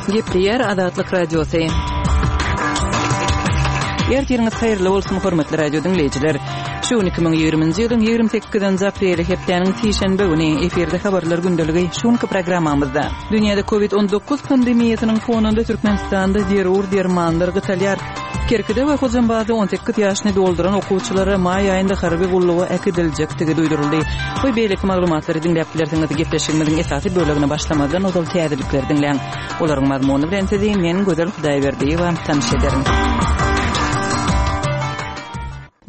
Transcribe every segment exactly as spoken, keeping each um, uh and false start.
Gepleýär Azatlyk Radiosy. Ertiriňiz haýyrly bolsun, hormatly radio diňleýjiler. Şu gün iki müň ýigriminji ýylyň ýigrimi sekizinji apreli, hepdäniň sişenbe güni, efirde habarlar gündeligi şu günki programmamyzda. Dünýäde Covid on dokuz pandemiýasynyň fonunda Türkmenistanda zerur dermanlar gytalýar. Kerkide we Hojambazda on sekiz ýaşyny dolduran okuwçylara maý aýynda harby gulluga äkidiljekdigi duýduryldy. We beýleki maglumatlary diňläp bilersiňiz. Gepleşigimiziň esasy bölegine başlamazdan ozal täzelikleri diňläň. Olaryň mazmuny bilen sizi men Gözel Hudaýberdiýewa tanyş ederin.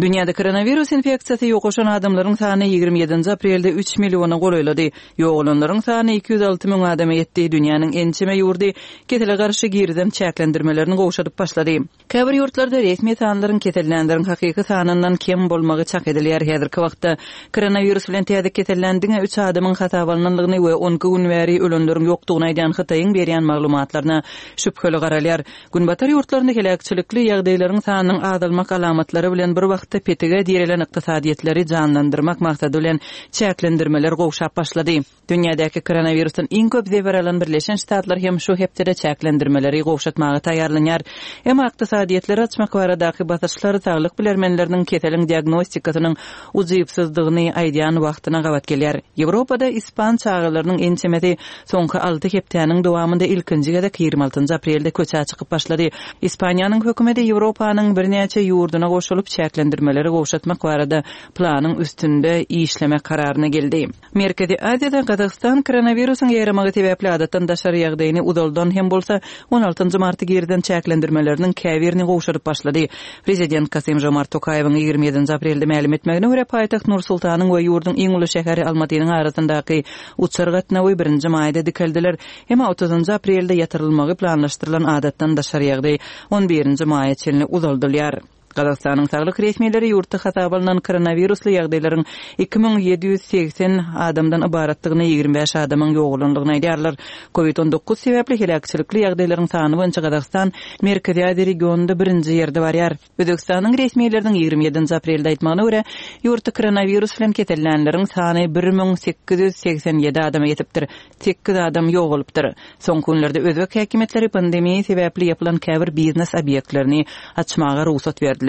Dünýäde koronawirus infeksiýasy ýokaşan adamlaryň sany ýigrimi ýedinji aprelde üç milliona golaýlady. Ýogalanlaryň sany iki ýüz alty müň adama ýetdi. Dünýäniň ençeme ýurdy kesele garşy girizen çäklendirmelerini gowşadyp başlady. Käbir ýurtlarda resmi sanlaryň kesellänleriň hakyky sanyndan kem bolmagy çak edilýär. Häzirki wagtda koronawirus bilen täze kesellän diňe üç adamyň hasaba alnandygyny we on iki gün bäri ölenleriň ýokdugyny aýdýan Hytaýyň berýän maglumatlaryna şübheli garalýar. Günbatar ýurtlarynda heläkçilikli ýagdaýlaryň sanynyň azalmak alamatlary bilen bir wagtda petige direlen ykdysadyýetleri janlandyrmak maksady bilen çäklendirmeler gowşap başlady. Dünýädäki koronawirusdan iň köp zeper alan Birleşen Ştatlar hem şu hepdede çäklendirmeleri gowşatmaga taýýarlanýar. Emma ykdysadyýetleri açmak baradaky basyşlar saglyk bilermenleriniň keseliň diagnostikasynyň ujypsyzdygyny aýdýan wagtyna gabat gelýär. Ýewropada ispan çagalarynyň ençemesi soňky alty hepdäniň dowamynda ilkinji gezek ýigrimi altynjy aprelde köçä çykyp başlady. Ispaniýanyň hökümeti Ýewropanyň birnäçe ýurduna goşulyp çäklendirmeleri gowşatmak barada planyň üstünde işlemek kararyna geldi. Merkezi Aziýada Gazagystan koronawirusyň ýaýramagy sebäpli adatdan daşary ýagdaýyny uzaldan hem bolsa on altynjy marty girizen çäklendirmeleriniň käbirini gowşadyp başlady. Prezident Kasym-Žomart Tokaýewiň ýigrimi ýedinji aprelde mälim etmegine görä paýtagt Nur-Sultanyň we ýurduň iň uly şäheri Almatynyň arasyndaky uçar gatnawy birinji maýda dikeldiler. Emma otuzynjy aprelde ýatyrylmagy planlaşdyrylan adatdan daşary ýagdaý on birinji maýa çenli uzaldylýar. Gazagystanyň saglyk resmileri ýurtda hasaba alnan koronawirusly ýagdaýlaryň iki müň ýedi ýüz segsen adamdan ybaratdygyny, ýigrimi bäş adamyň ýogalandygyny aýdýarlar. Covid on dokuz sebäpli heläkçilikli ýagdaýlaryň sany boýunça Gazagystan Merkezi Aziýa regionynda birinji ýerde barýar. Özbekistanyň resmileriniň ýigrimi ýedinji aprelde aýtmagyna görä, ýurtda koronawirus bilen kesellänleriň sany bir müň sekiz ýüz segsen ýedi adama ýetipdir. Sekiz adam ýogalypdyr. Soňky günlerde özbek häkimiýetleri pandemiýa sebäpli ýapylan käbir biznes obýektlerini açmaga rugsat berdiler.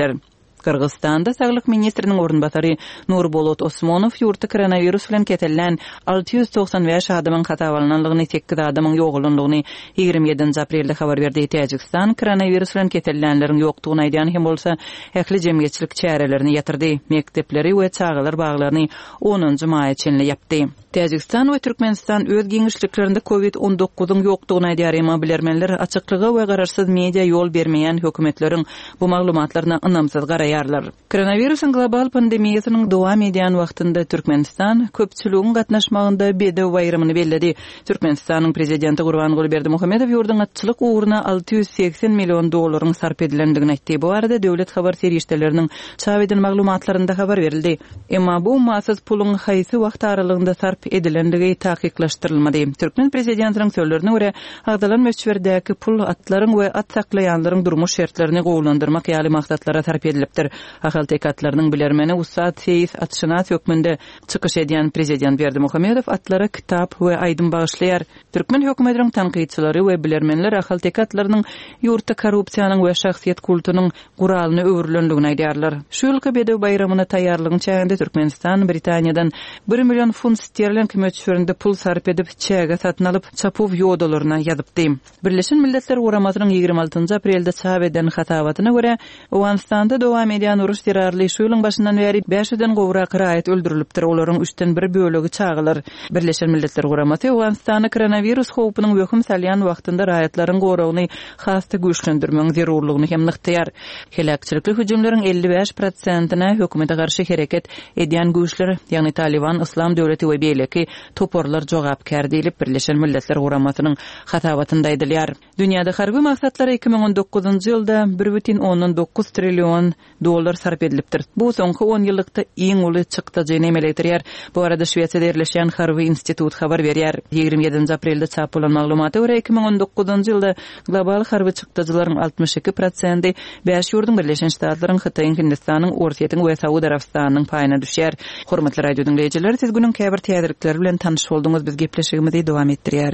Gyrgyzystanda saglyk ministriniň orunbasary Nurbolot Osmonow ýurtda koronawirus bilen kesellän alty ýüz togsan bäş adamyň hasaba alnandygyny, sekiz adamyň ýogalandygyny ýigrimi ýedinji aprelde habar berdi. Täjigistan koronawirus bilen kesellänleriň ýokdugyny aýdýan hem bolsa ähli jemgyýetçilik çärelerini ýatyrdy. Mekdepleri we çagalar baglaryny onunjy maýa çenli ýapdy. Täjigistan we Türkmenistan öz giňişliklerinde Covid on dokuzyň ýokdugyny aýdýar, emma bilermenler açyklyga we garaşsyz media ýol bermeýän hökümetleriň bu maglumatlaryna ynamsyz garaýarlar. Koronawirusyň global pandemiýasynyň dowam edýän wagtynda Türkmenistan köpçüligiň gatnaşmagynda bedew baýramyny belledi. Türkmenistanyň prezidenti Gurbanguly Berdimuhamedow ýurduň atçylyk ugruna alty ýüz segsen million dollaryň sarp edilendigini aýtdy. Bu barada döwlet habar serişdeleriniň çap eden maglumatlarynda habar berildi. Emma bu ummasyz puluň haýsy wagt aralygynda sarp edilendigi takyklaşdyrylmady. Türkmen prezidentiniň sözlerine görä, agzalan möçberdäki pul atlaryň we at saklaýanlaryň durmuş şertlerini gowulandyrmak ýaly maksatlara sarp edilipdir. Ahalteke atlarynyň bilermeni ussat seýis atşynas hökmünde çykyş edýän prezident Berdimuhamedow atlara kitap we aýdym bagyşlaýar. Türkmen hökümetiniň tankytçylary we bilermenler ahalteke atlarynyň ýurtda korrupsiýanyň we şahsyýet kultunyň guralyny öwrülendigini aýdýarlar. Şu ýylky bedew baýramyna taýýarlygyň çäginde Türkmenistan Britaniýadan bir million funt sterling möçberinde pul sarp edip çäge satyn alyp çapuw ýodalaryna ýazypdy. Birleşen Milletler Guramasynyň ýigrimi altynjy aprelde çap eden hasabatyna görä, Owganystanda dowam edýän uruş zerarly şu ýylyň başyndan bäri bäş ýüzden gowrak raýat öldürilipdir. Olaryň üçden bir bölegi çagalar. Birleşen Milletler Guramasy Owganystanda koronawirus howpunyň wehim salýan wagtynda raýatlaryň goragyny has-da güýçlendirmegiň zerurlygyny hem nygtaýar. Heläkçilikli hüjümleriň elli bäş prosentine hökümete garşy hereket edýän güýçler, ýagny Taliban, Islam döwleti we beýleki toparlar jogapkär diýlip Birleşen Milletler Guramasynyň hasabatynda aýdylýar. Dünýäde harby maksatlara iki müň on dokuzynjy ýylda bir bütin ondan dokuz trillion dollar sarp edilipdir. Bu soňky on ýyllykda iň uly çykdajyny emele getirýär. Bu arada Şwesiýada ýerleşýän Harby institut habar berýär. Ýigrimi ýedinji aprelde çap bolan maglumata görä iki müň on dokuzynjy ýylda global harby çykdajylaryň altmyş iki prosenti bäş ýurduň Birleşen Ştatlaryň, Hytaýyň, Hindistanyň, Orsýetiň we Saud Arabystanynyň paýyna düşýär. Hormatly radio diňleýjiler, siz günüň käbir täzelikleri bilen tanyş bolduňyz. Biz gepleşigimizi dowam etdirýäris.